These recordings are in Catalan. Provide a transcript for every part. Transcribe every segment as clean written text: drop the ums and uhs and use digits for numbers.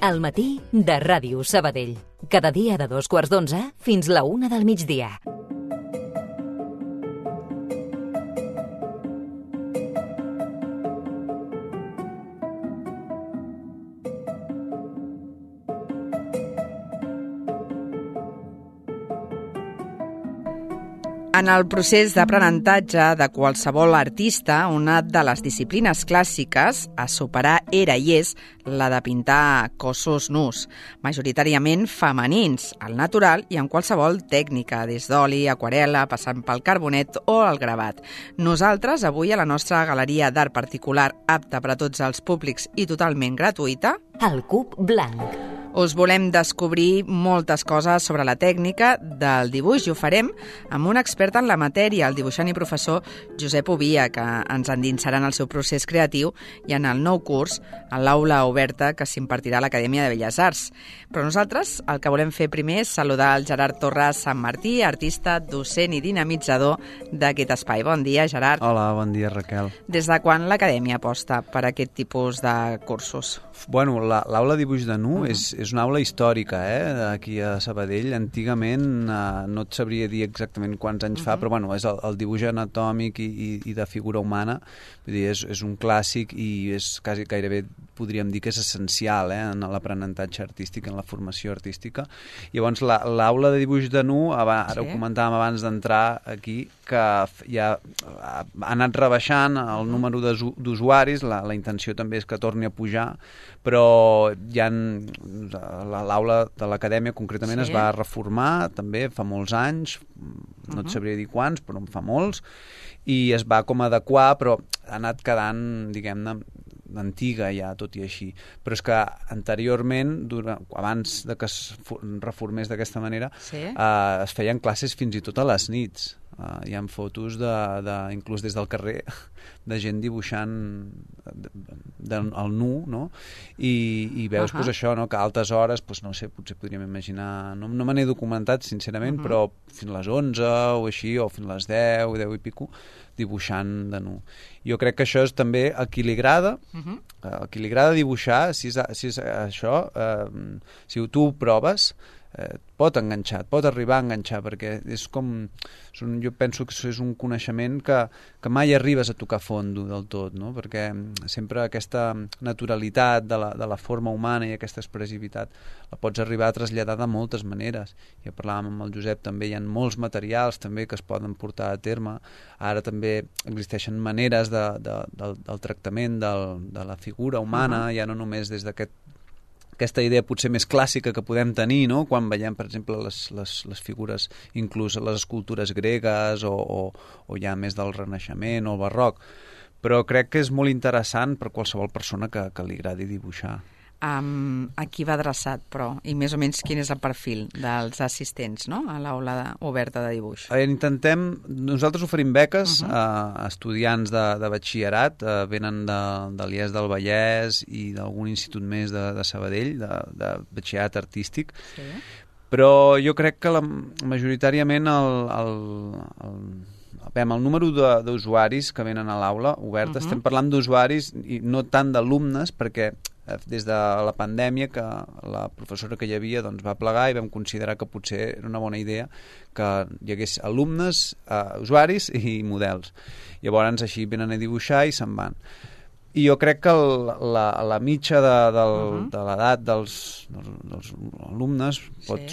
Al matí de Ràdio Sabadell. Cada dia de 2:15 fins la 1 del migdia. En el procés d'aprenentatge de qualsevol artista, una de les disciplines clàssiques a superar era i és la de pintar cossos nus, majoritàriament femenins, al natural i en qualsevol tècnica, des d'oli, aquarel·la, passant pel carbonet o el gravat. Nosaltres, avui, a la nostra galeria d'art particular, apta per a tots els públics i totalment gratuïta, El Cub Blanc. us volem descobrir moltes coses sobre la tècnica del dibuix i ho farem amb un expert en la matèria, el dibuixant i professor Josep Ovia, que ens endinsarà en el seu procés creatiu i en el nou curs a l'aula oberta que s'impartirà a l'Acadèmia de Belles Arts. Però nosaltres el que volem fer primer és saludar el Gerard Torres Sant Martí, artista, docent i dinamitzador d'aquest espai. Bon dia, Gerard. Hola, bon dia, Raquel. Des de quan l'Acadèmia aposta per aquest tipus de cursos? Bueno, l'aula de dibuix de nu és una aula històrica, aquí a Sabadell. Antigament no et sabria dir exactament quants anys fa, però bueno, és el dibuix anatòmic i de figura humana. Vull dir, és un clàssic i és quasi gairebé, podríem dir que és essencial en l'aprenentatge artístic, en la formació artística. Llavors, l'aula de dibuix de nu, ara ho comentàvem abans d'entrar aquí, que ja ha anat rebaixant el número d'usuaris, la intenció també és que torni a pujar, però ja l'aula de l'Acadèmia concretament es va reformar també fa molts anys, no et sabria dir quants, però en fa molts, i es va com adequar, però ha anat quedant, diguem-ne, antiga ja, tot i així. Però és que anteriorment, abans de que es reformés d'aquesta manera, es feien classes fins i tot a les nits. Hi ha fotos, inclús des del carrer, de gent dibuixant el nu, no? I veus això, que a altes hores, no sé, potser podríem imaginar, no me n'he documentat, sincerament, però fins a les 11 o així, o fins a les 10 i pico, dibuixant de nu. Jo crec que això és també a qui li agrada, dibuixar, si és això, si tu ho proves, pot enganxar, et pot arribar a enganxar, perquè és com, jo penso que és un coneixement que mai arribes a tocar fondo del tot, no? Perquè sempre aquesta naturalitat de la forma humana i aquesta expressivitat la pots arribar a traslladar de moltes maneres. Ja parlàvem amb el Josep, també hi ha molts materials també que es poden portar a terme. Ara també existeixen maneres del tractament de la figura humana, ja no només des d'aquesta idea potser més clàssica que podem tenir, no? Quan veiem, per exemple, les figures, inclús les escultures gregues o ja més del Renaixement o el Barroc. Però crec que és molt interessant per qualsevol persona que li agradi dibuixar. A qui va adreçat, però? I més o menys quin és el perfil dels assistents, no?, a l'aula oberta de dibuix? Nosaltres oferim beques a estudiants de batxillerat, venen de l'IES del Vallès i d'algun institut més de Sabadell, de batxillerat artístic, però jo crec que majoritàriament el número d'usuaris que venen a l'aula oberta, estem parlant d'usuaris i no tant d'alumnes, perquè des de la pandèmia que la professora que hi havia va plegar i vam considerar que potser era una bona idea que hi hagués alumnes, usuaris i models. Llavors així venen a dibuixar i se'n van. I jo crec que la mitja de l'edat dels alumnes pot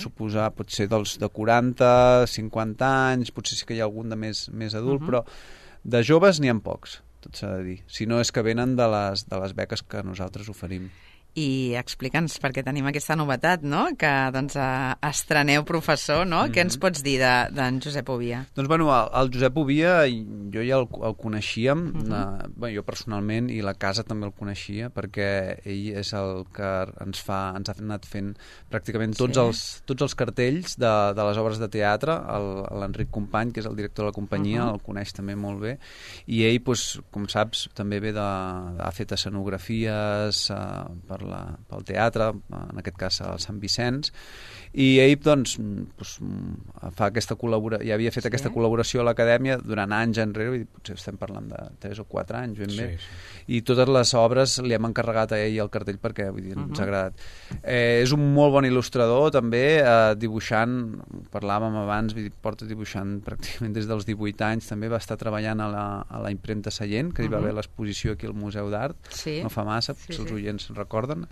ser de 40, 50 anys, potser sí que hi ha algun de més adult, però de joves n'hi ha pocs, tot s'ha de dir. Si no és que venen de les beques que nosaltres oferim. I explica'ns, perquè tenim aquesta novetat, no?, que estreneu professor, no? Què ens pots dir d'en Josep Ovia? Doncs, bueno, el Josep Ovia, jo ja el coneixíem, jo personalment, i la casa també el coneixia, perquè ell és el que ens ha anat fent pràcticament tots els cartells de les obres de teatre. L'Enric Company, que és el director de la companyia, el coneix també molt bé, i ell, com saps, també ha fet escenografies pel teatre, en aquest cas al Sant Vicenç, i ell fa aquesta col·laboració, ja havia fet aquesta col·laboració a l'Acadèmia durant anys enrere, potser estem parlant de 3 o 4 anys ben bé, i totes les obres li hem encarregat a ell el cartell perquè ens ha agradat. És un molt bon il·lustrador, també, dibuixant, parlàvem abans, porta dibuixant pràcticament des dels 18 anys, també va estar treballant a la impremta Sallent, que hi va haver l'exposició aquí al Museu d'Art, no fa massa, si els oients recorden,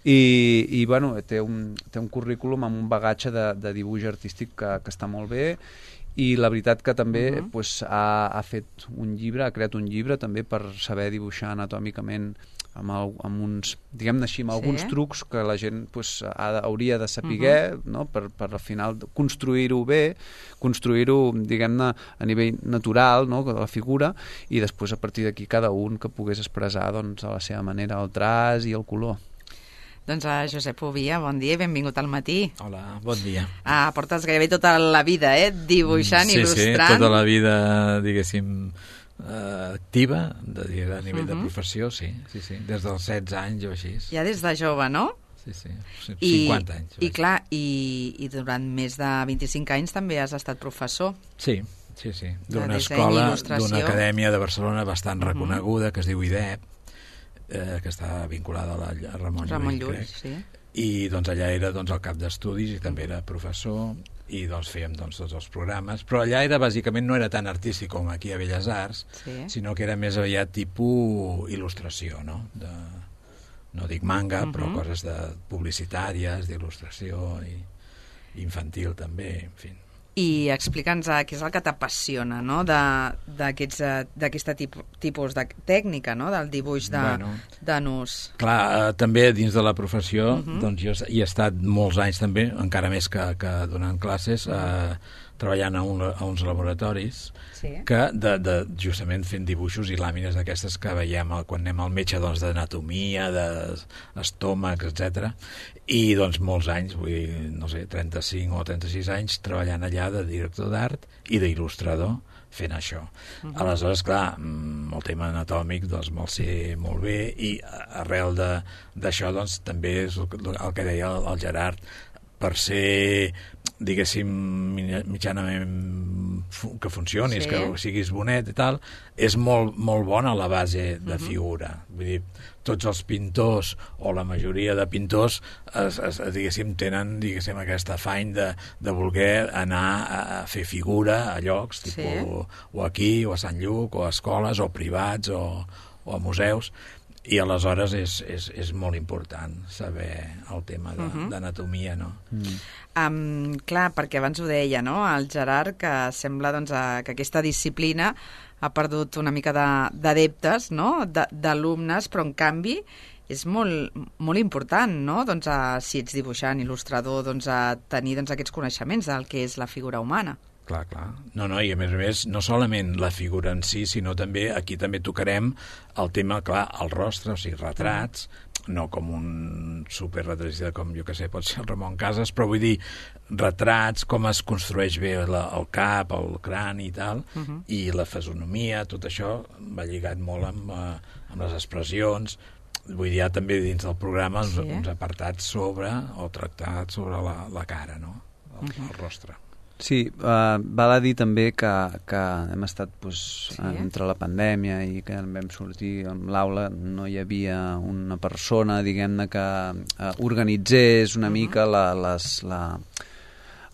i bueno, té un currículum amb un bagatge de dibuix artístic que està molt bé, i la veritat que també ha fet un llibre, ha creat un llibre també per saber dibuixar anatòmicament amb uns, diguem-ne així, amb alguns trucs que la gent hauria de saber, no? per al final construir-ho bé, construir-ho, diguem-ne, a nivell natural, no? De la figura, i després a partir d'aquí cada un que pogués expressar doncs, a la seva manera el traç i el color. Doncs a Josep Ovia, bon dia i benvingut al matí. Hola, bon dia. Portes gairebé tota la vida, dibuixant, il·lustrant. Sí, tota la vida, diguéssim, activa, a nivell de professió, sí, des dels 16 anys o així. Ja des de jove, no? Sí, 50 anys. I clar, i durant més de 25 anys també has estat professor. Sí. D'una escola, d'una acadèmia de Barcelona bastant reconeguda, que es diu IDEP, que està vinculada a Ramon Llull, sí. I doncs allà era el cap d'estudis i també era professor i doncs fèiem tots els programes, però allà bàsicament no era tan artístic com aquí a Belles Arts, sinó que era més aviat tipus il·lustració, no? No dic manga, però coses publicitàries, d'il·lustració i infantil també, en fi. I explica'ns què és el que t'apassiona, no?, d'aquest tipus de tècnica, no?, del dibuix de nus. Clar, també dins de la professió, doncs jo hi he estat molts anys també, encara més que donant classes, treballant a uns laboratoris que justament fent dibuixos i làmines d'aquestes que veiem quan anem al metge d'anatomia, d'estómacs, etc. I doncs molts anys, vull dir, no sé, 35 o 36 anys treballant allà de director d'art i d'il·lustrador fent això. Aleshores, clar, el tema anatòmic doncs me'l sé molt bé i arrel d'això doncs també és el que deia el Gerard, per ser, diguéssim, mitjanament que funcionis, que siguis bonet i tal, és molt bona la base de figura. Vull dir, tots els pintors, o la majoria de pintors, diguéssim, tenen aquest afany de voler anar a fer figura a llocs, o aquí, o a Sant Lluc, o a escoles, o privats, o a museus. I aleshores és molt important saber el tema d'anatomia, no? Clar, perquè abans ho deia, no?, el Gerard, que sembla que aquesta disciplina ha perdut una mica d'adeptes, no?, d'alumnes, però en canvi és molt important, no?, doncs si ets dibuixant, il·lustrador, doncs a tenir aquests coneixements del que és la figura humana. Clar. No, i a més, no solament la figura en si, sinó també, aquí també tocarem el tema, clar, el rostre, o sigui, retrats, no com un superretratista com, jo que sé, pot ser el Ramon Casas, però vull dir, retrats, com es construeix bé el cap, el crani i tal, i la fisonomia, tot això va lligat molt amb les expressions. Vull dir, també dins del programa uns apartats sobre, o tractats sobre la cara, no?, el rostre. Sí, val a dir també que hem estat entre la pandèmia i que vam sortir amb l'aula, no hi havia una persona, diguem-ne, que organitzés una mica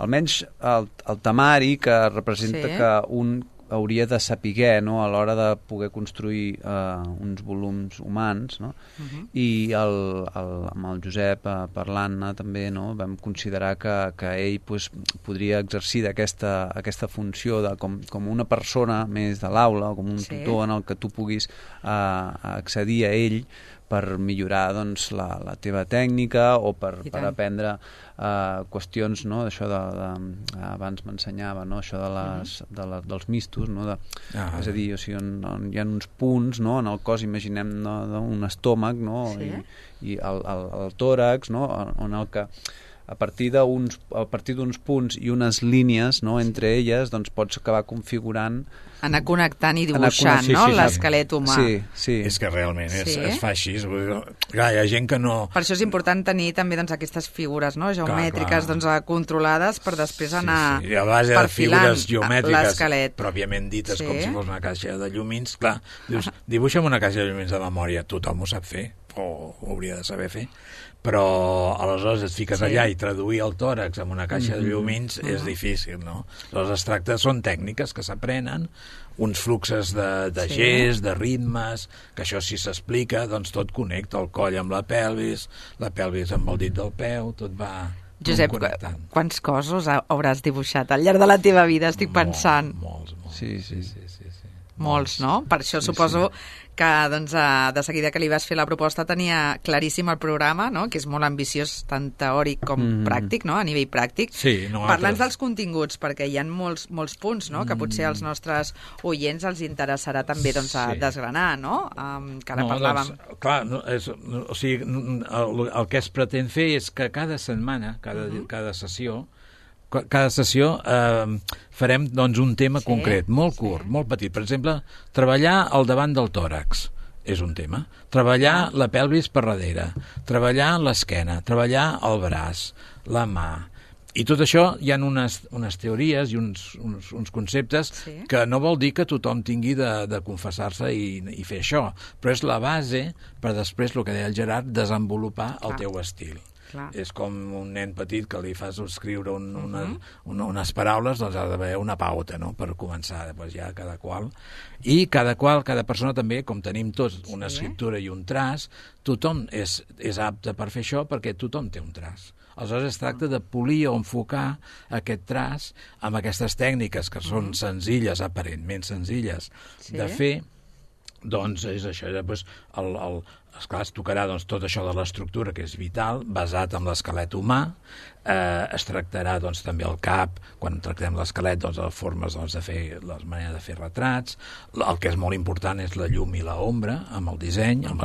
almenys el temari que representa que un hauria de saber, no?, a l'hora de poder construir uns volums humans, no? I amb el Josep parlant-ne també, no?, vam considerar que ell podria exercir aquesta funció com una persona més de l'aula, com un tutor en el que tu puguis accedir a ell per millorar doncs, la teva tècnica o per aprendre qüestions, no?, d'això abans m'ensenyava, no?, això dels mistos, no?, és a dir, o sigui, on hi ha uns punts, no?, en el cos, imaginem, no?, un estómac, no?, i el tòrax, no?, on el que a partir d'uns punts i unes línies, no?, entre elles, doncs pots acabar configurant, anar connectant i dibuixant, no?, l'esquelet humà. Sí. És que realment es fa així. Clar, hi ha gent que no... Per això és important tenir també aquestes figures, no?, geomètriques controlades per després anar perfilant l'esquelet. I a base de figures geomètriques pròpiament dites, com si fos una caixa de llumins, clar, dius, dibuixa'm una caixa de llumins de memòria, tothom ho sap fer, o ho hauria de saber fer, però aleshores et fiques allà i traduir el tòrax amb una caixa de llumins és difícil, no? Aleshores es tracta, són tècniques que s'aprenen, uns fluxes de gest, de ritmes, que això si s'explica, doncs tot connecta el coll amb la pelvis amb el dit del peu, tot va Josep, connectant. quants cossos hauràs dibuixat al llarg de la teva vida, estic pensant? Molts. Sí. Molts, no? Per això suposo que doncs, de seguida que li vas fer la proposta tenia claríssim el programa, no? Que és molt ambiciós, tant teòric com pràctic, no? A nivell pràctic. Sí, Parla'ns dels continguts, perquè hi ha molts punts, no? Que potser als nostres oients els interessarà també doncs, desgranar, no? Que ara parlàvem. Doncs, clar, o sigui, el que es pretén fer és que cada setmana, cada sessió, farem doncs, un tema concret, molt curt, molt petit. Per exemple, treballar al davant del tòrax és un tema. Treballar la pelvis per darrere, treballar l'esquena, treballar el braç, la mà. I tot això hi ha unes teories i uns conceptes que no vol dir que tothom tingui de confessar-se i fer això, però és la base per després, el que deia el Gerard, desenvolupar el teu estil. Clar. És com un nen petit que li fas escriure unes paraules, doncs ha d'haver una pauta, no?, per començar, després ja cada persona també, com tenim tots una escriptura i un traç, tothom és apte per fer això perquè tothom té un traç. Aleshores es tracta de polir o enfocar aquest traç amb aquestes tècniques que són senzilles, aparentment senzilles, de fer. Doncs és això, després esclar, es tocarà doncs, tot això de l'estructura, que és vital, basat en l'esquelet humà. Es tractarà doncs, també el cap, quan tractem l'esquelet, doncs, les formes doncs, de fer, les maneres de fer retrats. El que és molt important és la llum i l'ombra, amb el disseny, amb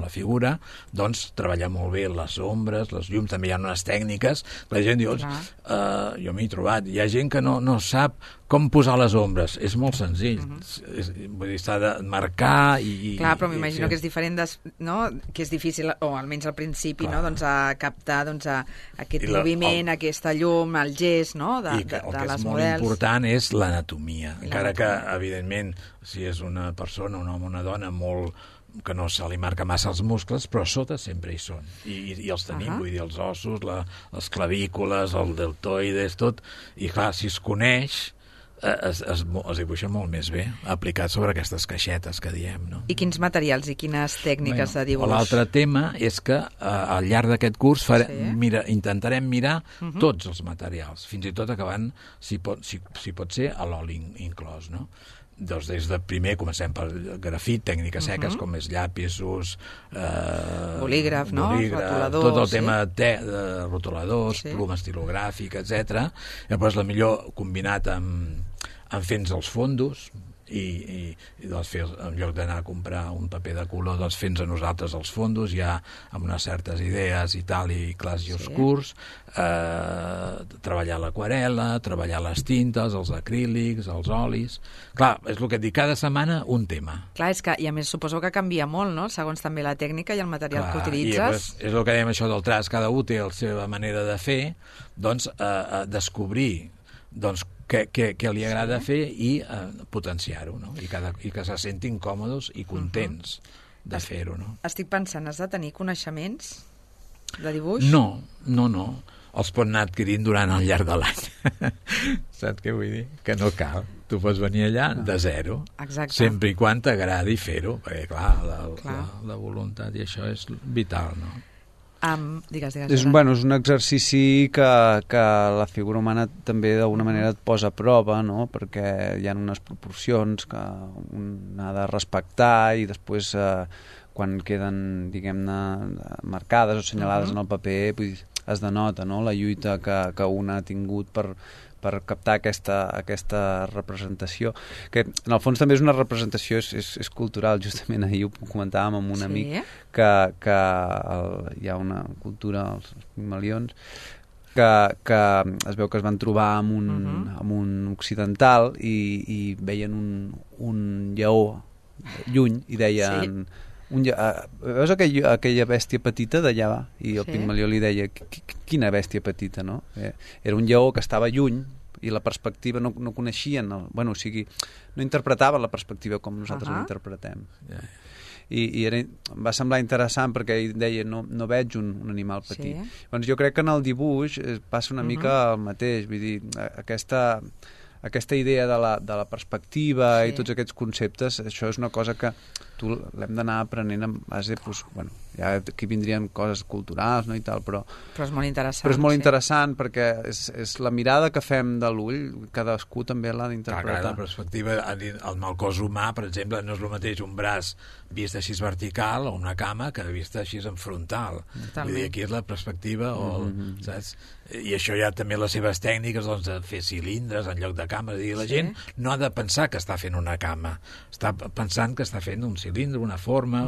la figura. Doncs treballar molt bé les ombres, les llums, també hi ha unes tècniques que la gent diu, jo m'hi he trobat, hi ha gent que no sap com posar les ombres. És molt senzill. Vull dir, s'ha de marcar i... Clar, però m'imagino que és diferent, no? Que és difícil, o almenys al principi, no? Doncs a captar aquest moviment, aquesta llum, el gest, no? De les models. El que és molt important és l'anatomia. Encara que, evidentment, si és una persona, un home o una dona que no se li marca massa els muscles, però a sota sempre hi són. I els tenim, vull dir, els ossos, les clavícules, el deltoides, tot. I clar, si es coneix, es dibuixa molt més bé, aplicat sobre aquestes caixetes que diem, no? I quins materials i quines tècniques de dibuix? L'altre tema és que al llarg d'aquest curs intentarem mirar tots els materials, fins i tot acabant, si pot ser, a l'oli inclòs, no? Doncs des de primer comencem per grafit, tècniques seques com és llapisos, bolígraf, no? Rotuladors, tot el tema de rotuladors, pluma estilogràfica, etc. Llavors la millor combinat amb fents els fondos i doncs en lloc d'anar a comprar un paper de color, doncs fent-nos a nosaltres els fondos ja amb unes certes idees i tal, i clars i oscurs, treballar l'aquarela, treballar les tintes, els acrílics, els olis. Clar, és el que et dic, cada setmana un tema. Clar, és que, i a més suposo que canvia molt, no?, segons també la tècnica i el material que utilitzes. I és el que dèiem, això del traç, cada un té la seva manera de fer, doncs descobrir doncs què li agrada fer i potenciar-ho, no? I que se sentin còmodes i contents de fer-ho, no? Estic pensant, has de tenir coneixements de dibuix? No. Els pot anar adquirint durant el llarg de l'any. Saps què vull dir? Que no cal. Tu pots venir allà de zero. Exacte. Sempre i quan t'agradi fer-ho, perquè, clar, la voluntat i això és vital, no? Digues. És un exercici que la figura humana també d'alguna manera et posa a prova, no? Perquè hi ha unes proporcions que un ha de respectar i després quan queden, diguem-ne, marcades o assenyalades en el paper, es denota, no?, la lluita que un ha tingut per captar aquesta representació, que en el fons també és una representació, és cultural. Justament ahir ho comentàvem amb un amic que hi ha una cultura, els Pigmalions, que es veu que es van trobar amb un occidental i veien un lleó lluny i deien... veus aquella bèstia petita d'allà? I el Pigmalió li deia, quina bèstia petita, no? Era un lleó que estava lluny i la perspectiva no coneixien, o sigui, no interpretaven la perspectiva com nosaltres la interpretem. i em va semblar interessant perquè ell deia no veig un animal petit. Sí. Doncs jo crec que en el dibuix passa una mica el mateix, vull dir, aquesta idea de la perspectiva i tots aquests conceptes, això és una cosa que l'hem d'anar aprenent en base, ja aquí vindrien coses culturals, no, i tal, però és molt interessant. Però és molt interessant perquè és la mirada que fem de l'ull, cadascú també l'ha d'interpretar. Clar, la perspectiva amb el cos humà, per exemple, no és el mateix un braç vist així vertical o una cama que vist així en frontal. Vull dir, aquí és la perspectiva, saps? I això ja també les seves tècniques, doncs, de fer cilindres en lloc de cames. I la gent no ha de pensar que està fent una cama, està pensant que està fent un cilindre, una forma,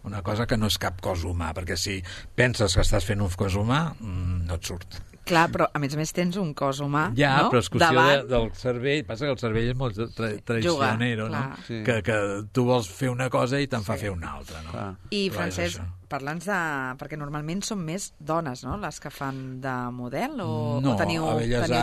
una cosa que no és cap cos humà, perquè si penses que estàs fent un cos humà, no et surt. Clar, però a més més tens un cos humà, ja, no? Però és qüestió del cervell. Passa que el cervell és molt traicionero, no? Sí. Que tu vols fer una cosa i te'n fa fer una altra, no? I, Francesc, parla'ns de... Perquè normalment són més dones, no?, les que fan de model, o teniu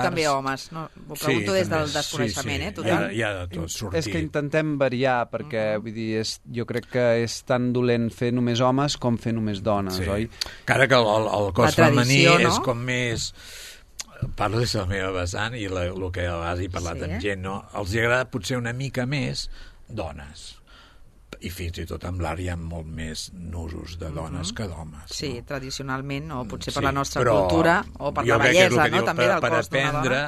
també homes? No, ho pregunto des del desconeixement, total. Hi ha de tot, sortir. És que intentem variar, perquè vull dir, jo crec que és tan dolent fer només homes com fer només dones, oi? Encara que el cos femení és com més... Parlo des de la meva vessant i el que a vegades he parlat amb gent, no? Els agrada potser una mica més dones. I fins i tot amb l'art hi ha molt més nusos de dones que d'homes. Sí, tradicionalment, o potser per la nostra cultura, o per la bellesa, no?, també del cos d'una dona.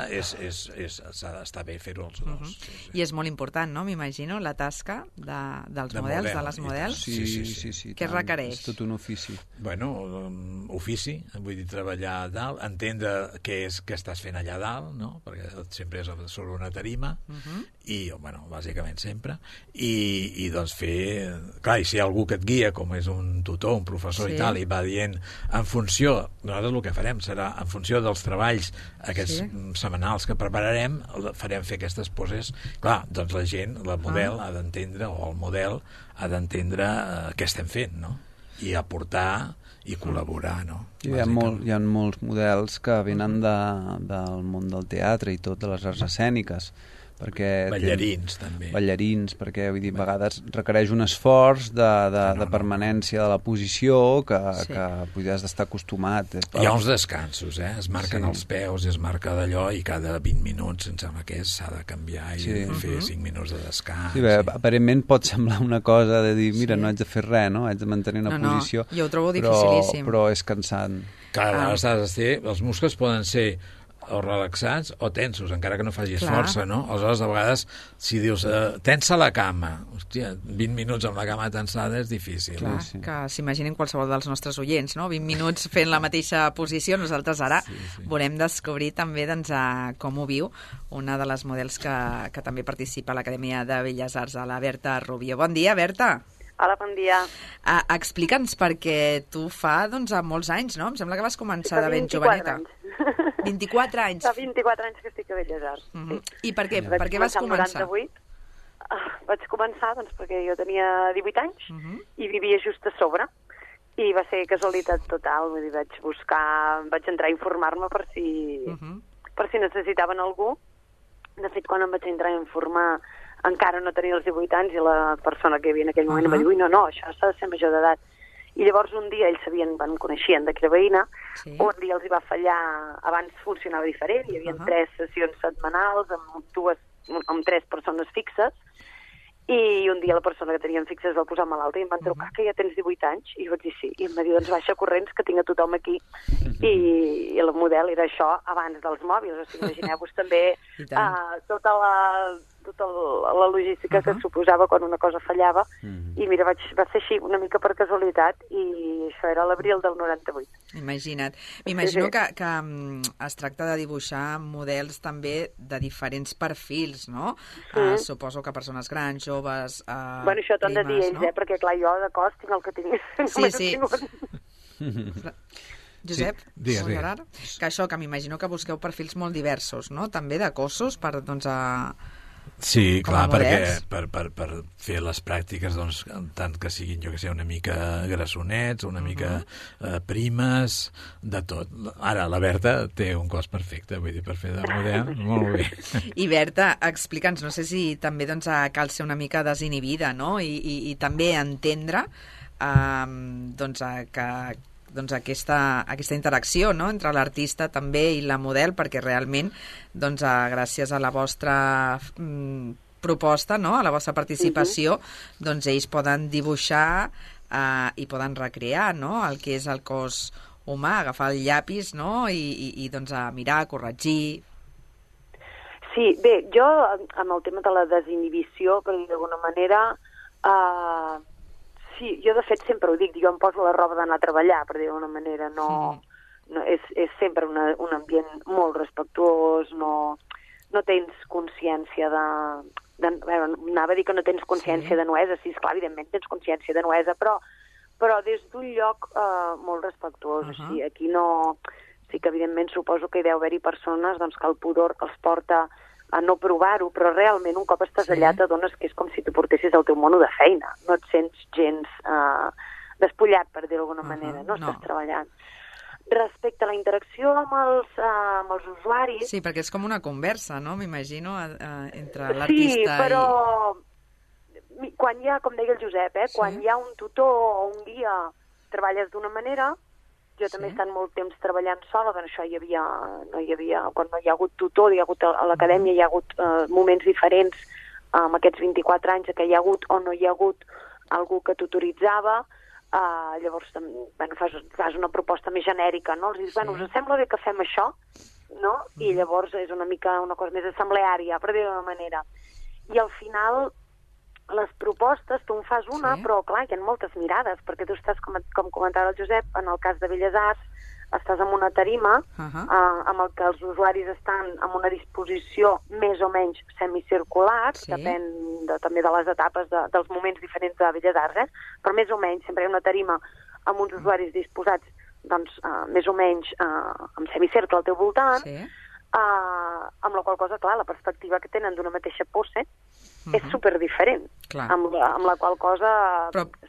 Està bé fer-ho els dos. I és molt important, no?, m'imagino, la tasca dels models, de les models. Sí. Què requereix? És tot un ofici. Bueno, ofici, vull dir, treballar a dalt, entendre què estàs fent allà dalt, no?, perquè sempre és sobre una tarima, i, bueno, bàsicament sempre, i doncs fer... Clar, i si hi ha algú que et guia, com és un tutor, un professor i tal, i va dient, en funció, nosaltres el que farem serà, en funció dels treballs aquests setmanals que prepararem, farem fer aquestes poses. Clar, doncs la gent, la model ha d'entendre, o el model ha d'entendre què estem fent, no? I aportar i col·laborar, no? Hi ha molts models que venen del món del teatre i tot, de les arts escèniques, perquè ballarins també. Ballarins, perquè vull dir, a vegades requereix un esforç de permanència de la posició que has d'estar acostumat. Hi ha uns descansos, es marquen els peus, es marca d'allò, i cada 20 minuts, em sembla que s'ha de canviar i fer 5 minuts de descans. Sí, bé, aparentment pot semblar una cosa de dir, mira, no haig de fer res, no? Haig de mantenir una posició. Jo ho trobo dificilíssim. Però és cansant. Cada vegada els muscles poden ser o relaxats o tensos, encara que no facis força, no? Aleshores, a vegades, si dius tensa la cama, hòstia, 20 minuts amb la cama tensada és difícil. Clar, que s'imaginin qualsevol dels nostres oients, no? 20 minuts fent la mateixa posició. Nosaltres ara volem descobrir també com ho viu una de les models que també participa a l'Acadèmia de Belles Arts, a la Berta Rubio. Bon dia, Berta. Hola, bon dia. Explica'ns, perquè tu fa molts anys, no? Em sembla que vas començar de ben joveneta. 24 anys. Fa 24 anys que estic a Belles Arts. I per què vas començar? Vaig començar perquè jo tenia 18 anys i vivia just a sobre. I va ser casualitat total. Vull dir, vaig entrar a informar-me per si necessitaven algú. De fet, quan em vaig entrar a informar, encara no tenia els 18 anys, i la persona que hi havia en aquell moment em va dir, no, això s'ha de ser major d'edat. I llavors un dia ells van coneixien de que era veïna, un dia els hi va fallar, abans funcionava diferent, hi havia 3 sessions setmanals amb 3 persones fixes, i un dia la persona que tenien fixes va posar malalta i em van trucar que ja tens 18 anys, i jo vaig dir sí, i em va dir, doncs baixa corrents que tinc a tothom aquí, i el model era això abans dels mòbils, o sigui, imagineu-vos també tota la logística que suposava quan una cosa fallava, i mira, va ser així una mica per casualitat, i això era l'abril del 98. Imagina't. M'imagino que es tracta de dibuixar models també de diferents perfils, no? Suposo que persones grans, joves, bueno, això t'han de dir ells, perquè clar, jo de cos tinc el que tinc. Sí. Josep, que això, que m'imagino que busqueu perfils molt diversos, no? També de cossos per, Sí, com a clar, perquè models. per fer les pràctiques, doncs, tant que siguin, jo que sé, una mica grassonets, una mica primes, de tot. Ara, la Berta té un cos perfecte, vull dir, per fer de model, molt bé. I Berta, explica'ns, no sé si també doncs, cal ser una mica desinhibida, no? I també entendre doncs, que aquesta interacció, no?, entre l'artista també i la model, perquè realment doncs, gràcies a la vostra proposta, no?, a la vostra participació, doncs ells poden dibuixar i poden recrear, no?, el que és el cos humà, agafar el llapis, no?, i doncs, mirar, corregir. Sí, bé, jo amb el tema de la desinhibició, per dir d'alguna manera, sí, jo de fet sempre ho dic, jo em poso la roba d'anar a treballar, per dir d'alguna manera, no és sempre un ambient molt respectuós, no tens consciència anava a dir que no tens consciència de nuesa, sí, esclar, evidentment tens consciència de nuesa, però des d'un lloc molt respectuós, així, aquí no... Sí que evidentment suposo que hi deu haver-hi persones doncs, que el pudor els porta a no provar-ho, però realment un cop estàs allà t'adones que és com si tu portessis el teu mono de feina, no et sents gens despullat, per dir d'alguna manera, no estàs treballant. Respecte a la interacció amb els usuaris... Sí, perquè és com una conversa, no?, m'imagino, entre l'artista i... Sí, però quan hi ha, com deia el Josep, quan hi ha un tutor o un guia, treballes d'una manera. Jo també he estat molt temps treballant sola, doncs això no hi havia, quan no hi ha hagut tutor, a l'acadèmia hi ha hagut moments diferents amb aquests 24 anys que hi ha hagut o no hi ha hagut algú que tutoritzava, llavors fas una proposta més genèrica, no? Els dius, us sembla bé que fem això? No? I llavors és una mica una cosa més assembleària, per dir d'una manera. I al final les propostes, tu en fas una, però clar, hi ha moltes mirades, perquè tu estàs, com comentava el Josep, en el cas de Belles Arts, estàs en una tarima amb el que els usuaris estan en una disposició més o menys semicircular, depèn també de les etapes dels moments diferents de Belles Arts, però més o menys sempre hi ha una tarima amb uns usuaris disposats doncs, més o menys en semicercle al teu voltant, amb la qual cosa, clar, la perspectiva que tenen d'una mateixa pose és superdiferent, amb la qual cosa...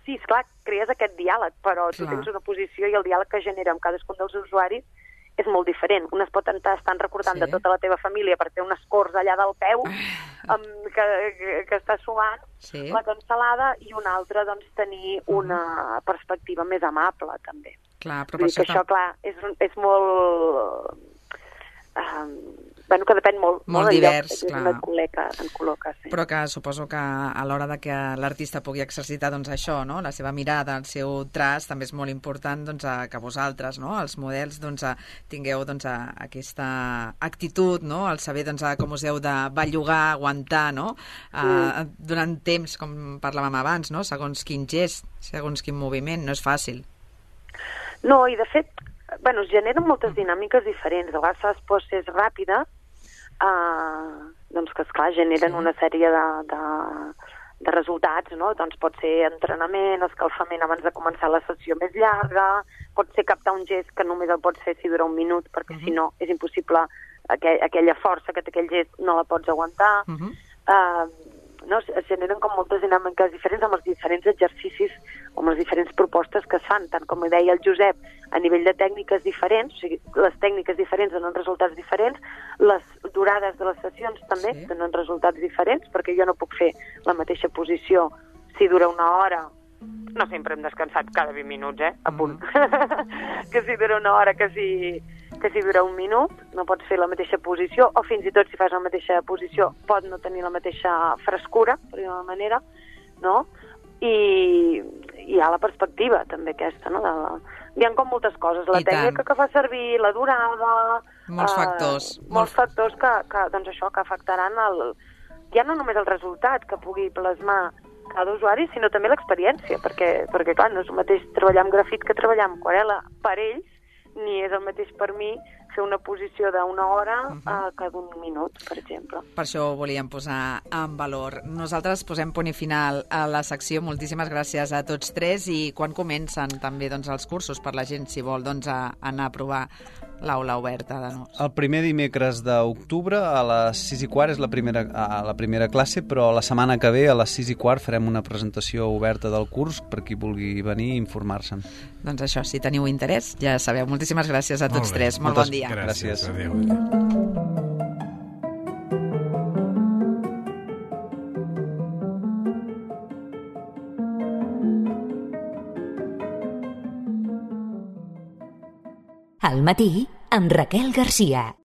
Sí, esclar, crees aquest diàleg, però tu tens una posició i el diàleg que genera amb cadascun dels usuaris és molt diferent. Un es pot estar recordant de tota la teva família per fer un escorç allà del peu que està suant la cansalada, i un altre, doncs, tenir una perspectiva més amable, també. Clar, però que això, clar, és molt... que depèn molt divers, clar. En col·loca, sí. Però que suposo que a l'hora de que l'artista pugui exercitar doncs, això, no? La seva mirada, el seu traç, també és molt important doncs, que vosaltres, no? Els models, doncs, tingueu doncs, aquesta actitud, no? El saber doncs, com us heu de bellugar, aguantar, no? Durant temps, com parlàvem abans, no? Segons quin gest, segons quin moviment, no és fàcil. No, i de fet, es generen moltes dinàmiques diferents. A vegades fas poses ràpides, doncs que, esclar, generen una sèrie de resultats, no? Doncs pot ser entrenament, escalfament abans de començar la sessió més llarga, pot ser captar un gest que només el pots fer si dura un minut, perquè si no és impossible, aquella força que té aquell gest no la pots aguantar. Es generen com moltes dinàmiques diferents amb els diferents exercicis o amb les diferents propostes que es fan, tant com deia el Josep, a nivell de tècniques diferents, o sigui, les tècniques diferents donen resultats diferents, les durades de les sessions també donen resultats diferents, perquè jo no puc fer la mateixa posició si dura una hora, no sempre hem descansat cada 20 minuts, a punt, que si dura una hora, que si dura un minut, no pots fer la mateixa posició, o fins i tot si fas la mateixa posició pot no tenir la mateixa frescura, per dir-ho manera, no? I hi ha la perspectiva també aquesta, no? Hi ha com moltes coses, la tècnica que fa servir, la durada... Molts factors. Molts factors que doncs això, que afectaran ja no només el resultat que pugui plasmar cada usuari, sinó també l'experiència, perquè clar, no és el mateix treballar amb grafit que treballar amb aquarel·la per ells, ni és el mateix per mi fer una posició d'una hora que d'un minut, per exemple. Per això ho volíem posar en valor. Nosaltres posem punt i final a la secció. Moltíssimes gràcies a tots tres. I quan comencen també doncs, els cursos per la gent, si vol doncs, anar a provar l'aula oberta de Nus? El primer dimecres d'octubre a les 6:15 és la primera classe, però la setmana que ve a les 6:15 farem una presentació oberta del curs per qui vulgui venir i informar-se'n. Doncs això, si teniu interès, ja sabeu. Moltíssimes gràcies a tots tres. Molt bon dia. Gràcies. Adéu. Al matí, amb Raquel Garcia.